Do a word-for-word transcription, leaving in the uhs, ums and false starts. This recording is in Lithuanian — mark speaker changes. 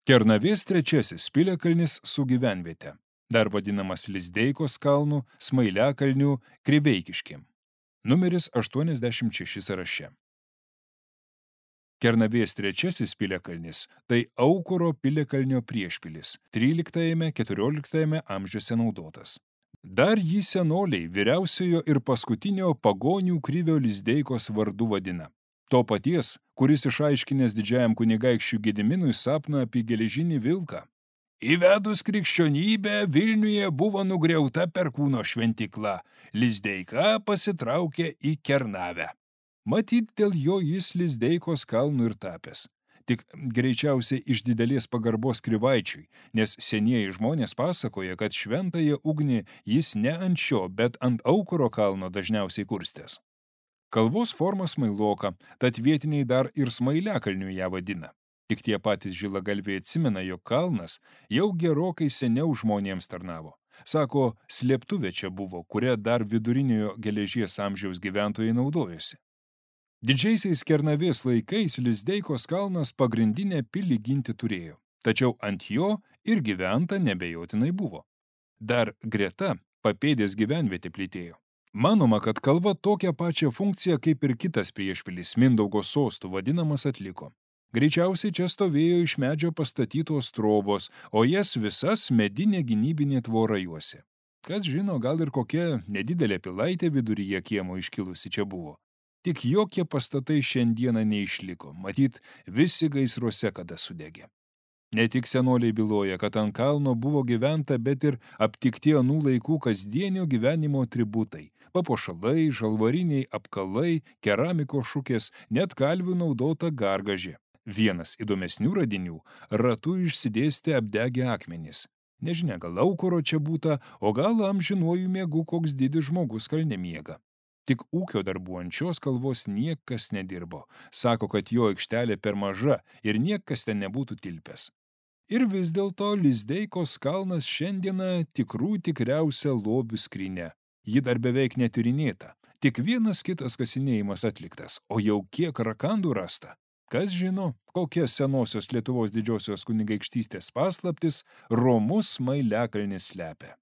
Speaker 1: Kernavės trečiasis piliakalnis su gyvenviete, dar vadinamas Lizdeikos kalnų, Smailekalnių, Kriveikiškėm. Numeris aštuoniasdešimt šeši sąraše. Kernavės trečiasis piliakalnis – tai Aukuro piliakalnio priešpilis, tryliktajame-keturioliktajame amžiuose naudotas. Dar jį senoliai vyriausiojo ir paskutinio pagonių Krivio Lizdeikos vardu vadina. To paties, kuris išaiškinęs didžiajam kunigaikščiui Gediminui sapną apie geležinį vilką. Įvedus krikščionybę, Vilniuje buvo nugriauta Perkūno šventykla, Lizdeika pasitraukė į Kernavę. Matyt, dėl jo jis Lizdeikos kalnų ir tapęs. Tik greičiausiai iš didelės pagarbos Krivaičiui, nes senieji žmonės pasakoja, kad šventąją ugnį jis ne ant šio, bet ant Aukuro kalno dažniausiai kurstęs. Kalvos forma smailoka, tad vietiniai dar ir Smailekalniu ją vadina. Tik tie patys žilagalviai atsimena, jog kalnas jau gerokai seniau žmonėms tarnavo. Sako, slėptuvė čia buvo, kuria dar viduriniojo geležies amžiaus gyventojai naudojosi. Didžiaisiais Kernavės laikais Lizdeikos kalnas pagrindinę pilį ginti turėjo, tačiau ant jo ir gyventa nebejotinai buvo. Dar greta papėdės gyvenvietė plytėjo. Manoma, kad kalva tokią pačią funkciją kaip ir kitas priešpilis Mindaugo sostų vadinamas atliko. Greičiausiai čia stovėjo iš medžio pastatytos trobos, o jas visas medinė gynybinė tvora juosė. Kas žino, gal ir kokia nedidelė pilaitė viduryje kiemo iškilusi čia buvo. Tik jokie pastatai šiandieną neišliko, matyt, visi gaisruose kada sudegė. Ne tik senoliai byloja, kad ant kalno buvo gyventa, bet ir aptikti anų laikų kasdienio gyvenimo atributai – papuošalai, žalvariniai apkalai, keramikos šukės, net kalvių naudota gargažė. Vienas įdomesnių radinių – ratu išsidėstė apdegę akmenys. Nežinia, gal Aukuro čia būta, o gal amžinuoju miegu koks didis žmogus kalne miega. Tik ūkio darbų ant šios kalvos niekas nedirbo. Sako, kad jo aikštelė per maža ir niekas ten nebūtų tilpęs. Ir vis dėlto Lizdeikos kalnas šiandieną tikrų tikriausia lobių skrynia. Ji dar beveik netyrinėta. Tik vienas kitas kasinėjimas atliktas, o jau kiek rakandų rasta. Kas žino, kokias senosios Lietuvos didžiosios kunigaikštystės paslaptis Romus Smailekalnis slepia.